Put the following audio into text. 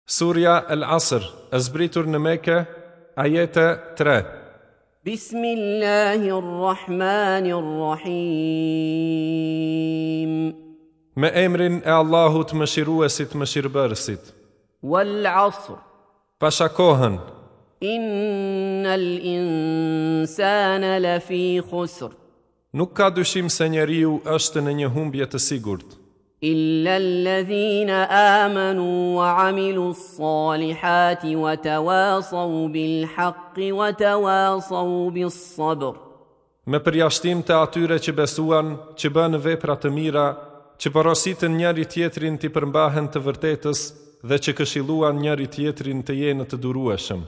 Surja El Asr, e zbritur në Mekë, ajete 3. Bismillahirrahmanirrahim. Me emrin e Allahut Mëshiruesit Mëshirëbërësit. Wal 'asr. Pasha kohën. Innal insana lafi khusr. Nuk ka dyshim se njeriu është në një humbje të sigurt. Illa alladhina amanu wa amilu s-salihati wa tawasaw bil haqqi wa tawasaw bis sabr. Me përjashtim të atyre që besuan, që bënë vepra të mira, që porositën njëri-tjetrin t'i përmbahen të vërtetës dhe që këshilluan njëri-tjetrin të jenë të durueshëm.